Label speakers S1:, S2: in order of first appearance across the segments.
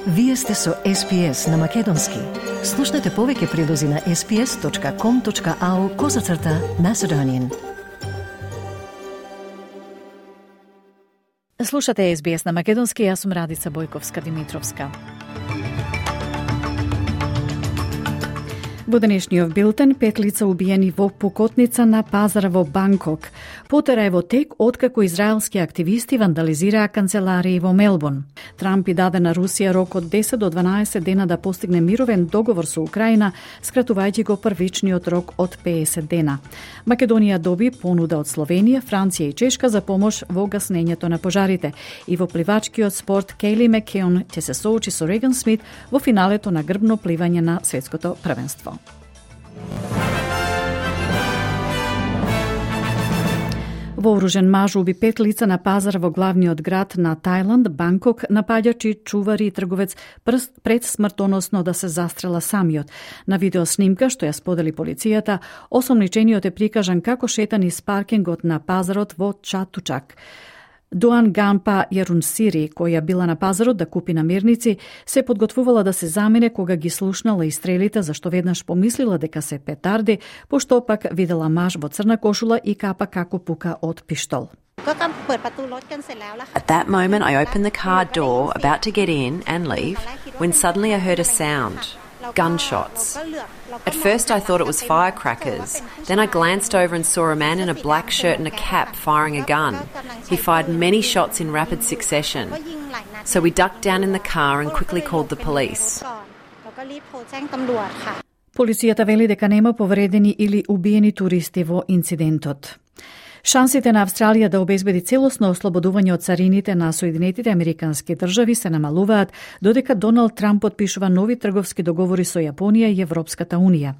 S1: Вие сте со SPS на Македонски. Слушнете повеќе прилози на sps.com.au/Macedonian.
S2: Слушате SBS на Македонски, јас сум Радица Бојковска-Димитровска. Во денешниот билтен, 5 лица убиени во пукотница на пазара во Банкок. Потера е во тек откако израелски активисти вандализираа канцеларии во Мелбурн. Трамп и даде на Русија рок од 10 до 12 дена да постигне мировен договор со Украина, скратувајќи го првичниот рок од 50 дена. Македонија доби понуда од Словенија, Франција и Чешка за помош во гаснењето на пожарите. И во пливачкиот спорт Кейли Макеон ќе се соочи со Реган Смит во финалето на грбно пливање на светското првенство. Вооружен маж уби 5 лица на пазар во главниот град на Тајланд, Банкок, напаѓачи чувари и трговец пред смртоносно да се застрела самиот. На видеоснимка што ја сподели полицијата, осомничениот е прикажан како шета низ паркингот на пазарот во Чатучак. Дуан Ганпа Јарунсири, која била на пазарот да купи намирници, се подготвувала да се замине кога ги слушнала и стрелите, зашто веднаш помислила дека се петарди, пошто пак видела маж во црна кошула и капа како пука од пиштол.
S3: At that moment, I opened the car door, about to get in and leave, when suddenly I heard a sound. Gunshots. At first I thought it was firecrackers. Then I glanced over and saw a man in a black shirt and a cap firing a gun. He fired many shots in rapid succession. So we ducked down in the car and quickly called the police.
S2: Полицијата вели дека нема повредени или убиени туристи во инцидентот. Шансите на Австралија да обезбеди целосно ослободување од царините на Соединетите Американски држави се намалуваат додека Доналд Трамп подпишува нови трговски договори со Јапонија и Европската Унија.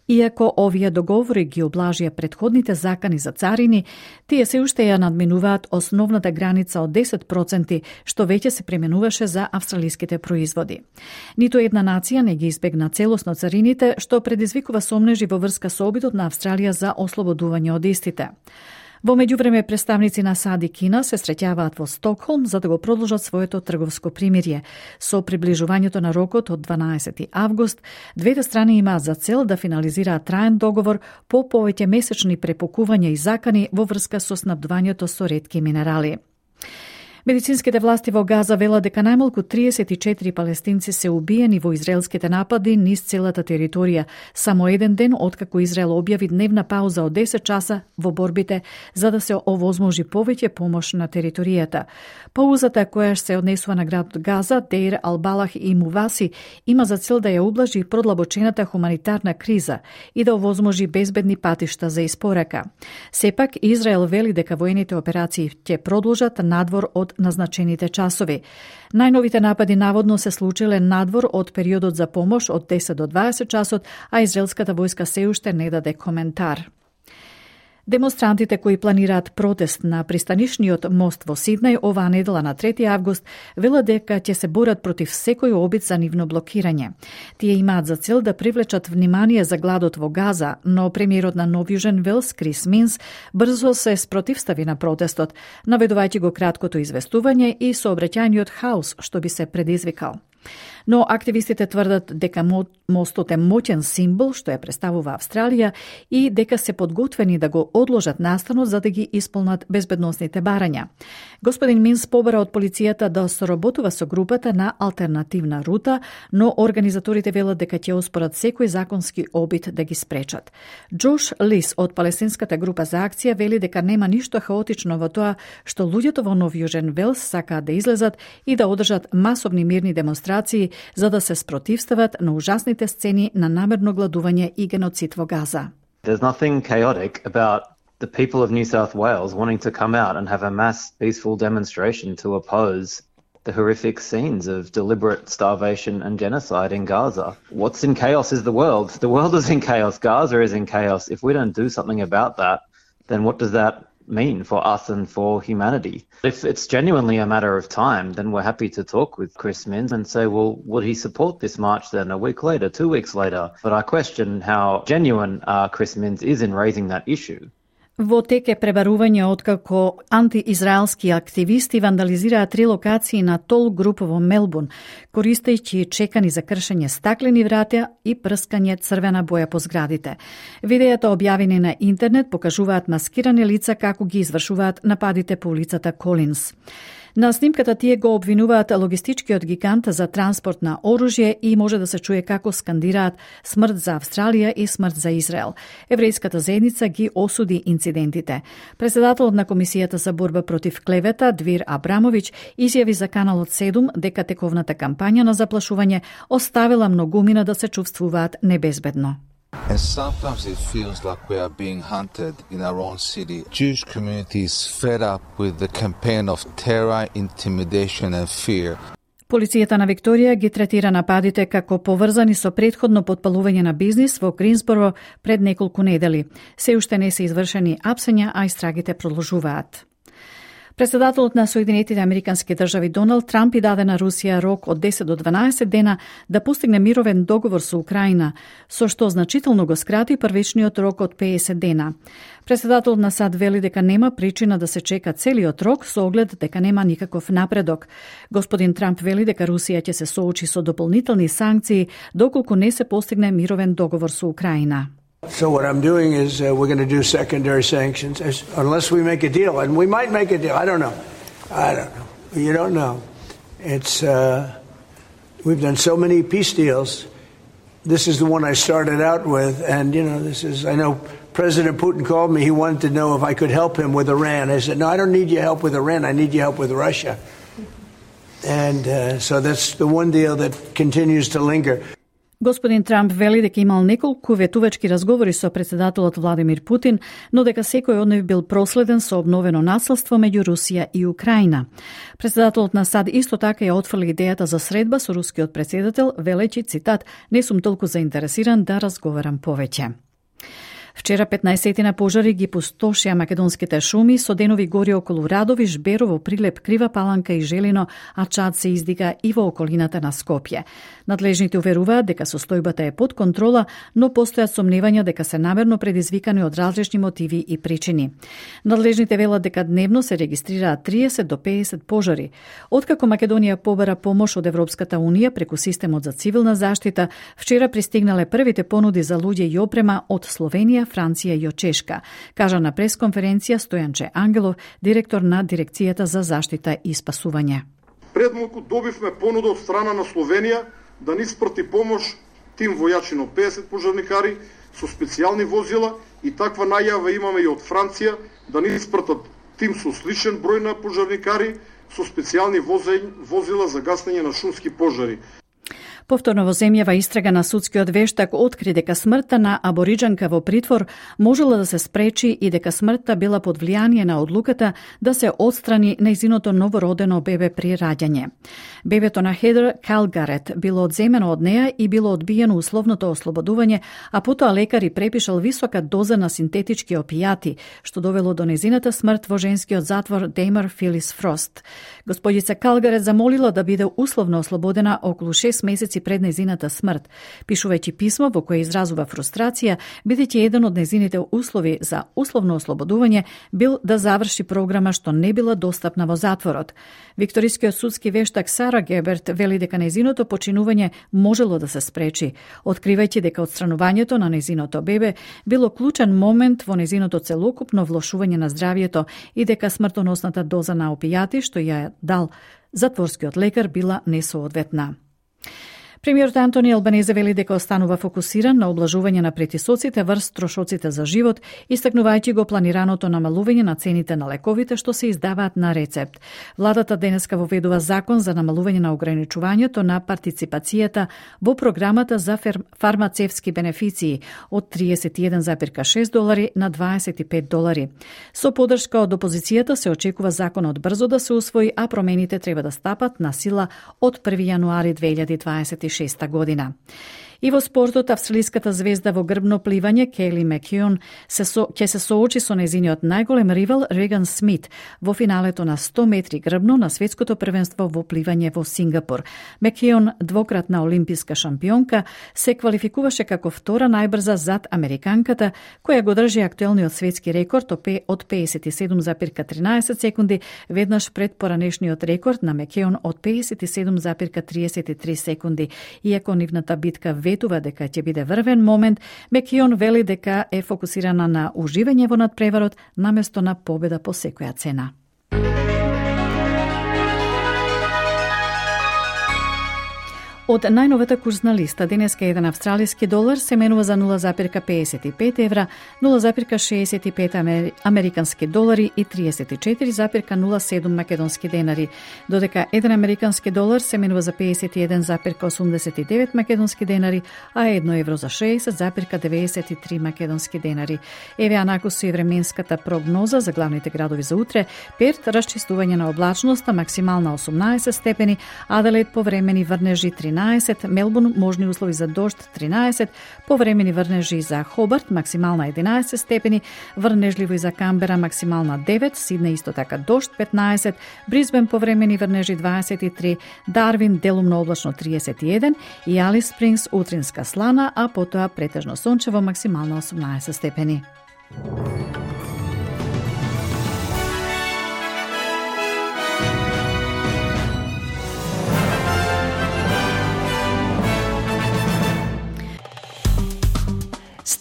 S2: Иако овие договори ги облажија предходните закани за царини, тие се уште ја надминуваат основната граница од 10%, што веќе се применуваше за австралиските производи. Ниту една нација не ги избегна целосно царините, што предизвикува сомнежи во врска со обидот на Австралија за ослободување од истите. Во меѓувреме, представници на САД и Кина се среќаваат во Стокхолм за да го продолжат своето трговско примирие. Со приближувањето на рокот од 12 август, двете страни имаат за цел да финализираат траен договор по повеќе месечни препокувања и закани во врска со снабдувањето со ретки минерали. Медицинските власти во Газа велат дека најмалку 34 палестинци се убиени во израелските напади низ целата територија, само еден ден откако Израел објави дневна пауза од 10 часа во борбите за да се овозможи повеќе помош на територијата. Паузата која се однесува на градот Газа, Деир Албалах и Муваси има за цел да ја ублажи продлабочената хуманитарна криза и да овозможи безбедни патишта за испорака. Сепак Израел вели дека воените операции ќе продолжат надвор од назначените часови. Најновите напади наводно се случиле надвор од периодот за помош од 10 до 20 часот, а израелската војска се уште не даде коментар. Демонстрантите кои планираат протест на пристанишниот мост во Сиднеј оваа недела на 3 август велат дека ќе се борат против секој обид за нивно блокирање. Тие имаат за цел да привлечат внимание за гладот во Газа, но премиерот на Нов Јужен Велс Крис Минс брзо се спротивстави на протестот, наведувајќи го краткото известување и сообраќајниот хаос што би се предизвикал. Но активистите тврдат дека мостот е моќен символ што ја представува Австралија и дека се подготвени да го одложат настанот за да ги исполнат безбедносните барања. Господин Минс побара од полицијата да соработува со групата на алтернативна рута, но организаторите велат дека ќе оспорат секој законски обид да ги спречат. Джош Лис од палестинската група за акција вели дека нема ништо хаотично во тоа што луѓето во Нов Јужен Велс сакаат да излезат и да одржат масовни мирни демонстрации за да се спротивстават на ужасните сцени на намерно гладување и геноцид во Газа.
S4: There's nothing chaotic about the people of New South Wales wanting to come out and have a mass peaceful demonstration to oppose the horrific scenes of deliberate starvation and genocide in Gaza. What's in chaos is the world. The world is in chaos. Gaza is in chaos. If we don't do something about that, then what does that mean for us and for humanity? If it's genuinely a matter of time, then we're happy to talk with Chris Minns and say, well, would he support this march then a week later, 2 weeks later? But I question how genuine Chris Minns is in raising that issue.
S2: Во тек е пребарување откако антиизраелски активисти вандализираат 3 локации на тол груп во Мелбурн, користејќи чекани за кршење стаклени врата и прскање црвена боја по зградите. Видеата објавени на интернет покажуваат маскирани лица како ги извршуваат нападите по улицата Колинс. На снимката тие го обвинуваат логистичкиот гигант за транспорт на оружје и може да се чуе како скандираат смрт за Австралија и смрт за Израел. Еврејската заедница ги осуди инцидентите. Председателот на Комисијата за борба против клевета Двир Абрамовиќ изјави за Каналот 7 дека тековната кампања на заплашување оставила многумина да се чувствуваат небезбедно.
S5: And sometimes it feels like we are being hunted in our own city. Jewish community is fed up with the campaign of terror, intimidation and fear.
S2: Полицијата на Викторија ги третира нападите како поврзани со претходно потпалување на бизнис во Гринсборо пред неколку недели. Се уште не се извршени апсења, а истрагите продолжуваат. Председателот на Соединетите Американски држави Доналд Трамп и даде на Русија рок од 10 до 12 дена да постигне мировен договор со Украина, со што значително го скрати првичниот рок од 50 дена. Председателот на САД вели дека нема причина да се чека целиот рок со оглед дека нема никаков напредок. Господин Трамп вели дека Русија ќе се соочи со дополнителни санкции доколку не се постигне мировен договор со Украина.
S6: So what I'm doing is we're going to do secondary sanctions unless we make a deal, and we might make a deal. I don't know. You don't know. It's we've done so many peace deals. This is the one I started out with, and I know President Putin called me. He wanted to know if I could help him with Iran. I said, no, I don't need your help with Iran. I need your help with Russia. And so that's the one deal that continues to linger.
S2: Господин Трамп вели дека имал неколку ветувачки разговори со председателот Владимир Путин, но дека секој од нив бил проследен со обновено насилство меѓу Русија и Украина. Председателот на САД исто така ја отфрли идејата за средба со рускиот председател, велејќи, цитат, не сум толку заинтересиран да разговарам повеќе. Вчера 15 пожари ги пустошија македонските шуми со денови гори околу Радови, Жберово, Прилеп, Крива Паланка и Желино, а чад се издига и во околината на Скопје. Надлежните уверуваат дека состојбата е под контрола, но постојат сомневања дека се намерно предизвикани од различни мотиви и причини. Надлежните велат дека дневно се регистрираат 30 до 50 пожари. Откако Македонија побара помош од Европската Унија преку системот за цивилна заштита, вчера пристигнале првите понуди за луѓе и опрема од Словенија, Франција и Чешка, кажа на пресконференција Стојанче Ангелов, директор на Дирекцијата за заштита и спасување.
S7: Пред малку добивме понуда од страна на Словенија да ни спрати помош тим војачи на 50 пожарникари со специјални возила и таква најава имаме и од Франција да ни спртат тим со сличен број на пожарникари со специјални возила за гасење на шумски пожари.
S2: Повторно во земјава истрага на судскиот вештак откри дека смртта на абориџанка во притвор можела да се спречи и дека смртта била под влијание на одлуката да се отстрани нејзиното новородено бебе при раѓање. Бебето на Хедер Калгарет било одземено од неа и било одбиено условното ослободување, а потоа лекари препишал висока доза на синтетички опијати, што довело до нејзината смрт во женскиот затвор Деймер Филис Фрост. Господица Калгарет замолила да биде условно ослободена околу 6 месеци пред нејзината смрт, пишувајќи писмо во кое изразува фрустрација, бидејќи еден од нејзините услови за условно ослободување бил да заврши програма што не била достапна во затворот. Викторискиот судски вештак Сара Геберт вели дека нејзиното починување можело да се спречи, откривајќи дека отстранувањето на нејзиното бебе било клучен момент во нејзиното целокупно влошување на здравјето и дека смртоносната доза на опијати што ја дал затворскиот лекар била несоодветна. Премиерот Антони Албанезе вели дека останува фокусиран на облажување на претисоците врз трошоците за живот, истакнувајќи го планираното намалување на цените на лековите што се издаваат на рецепт. Владата денеска воведува закон за намалување на ограничувањето на партиципацијата во програмата за фармацевски бенефиции од $31,6 на $25. Со подршка од опозицијата се очекува законот брзо да се усвои, а промените треба да стапат на сила од 1 јануари 2026 година. И во спортот, австралиската звезда во грбно пливање Кейли Макеон ќе се соочи со нејзиниот најголем ривал Реган Смит во финалето на 100 метри грбно на светското првенство во пливање во Сингапур. Макеон, двократна олимписка шампионка, се квалификуваше како втора најбрза зад американката, која го држи актуелниот светски рекорд од 57,13 секунди, веднаш пред поранешниот рекорд на Макеон од 57,33 секунди. Иако нивната битка ветува дека ќе биде врвен момент, Макеон вели дека е фокусирана на уживање во надпреварот наместо на победа по секоја цена. Од најновата курсна листа, денеска еден австралиски долар се менува за 0,55 евра, 0,65 американски долари и 34,07 македонски денари, додека еден американски долар се менува за 51,89 македонски денари, а 1 евро за 60,93 македонски денари. Еве анакусу и временската прогноза за главните градови за утре: Перт расчистување на облачноста, максимална 18 степени, Аделаид повремени врнежи 13, Мелбурн можни услови за дожд 13, повремени врнежи за Хобарт, максимална 11 степени, врнежливо и за Камбера, максимална 9, Сиднеј исто така дожд 15, Брисбен повремени врнежи 23, Дарвин делумно облачно 31 и Алис Спрингс утринска слана, а потоа претежно сончево, максимална 18 степени.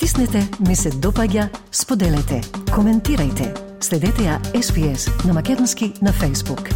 S1: Стиснете, ми се допаѓа, споделете, коментирајте. Следете ја SPS на македонски на Facebook.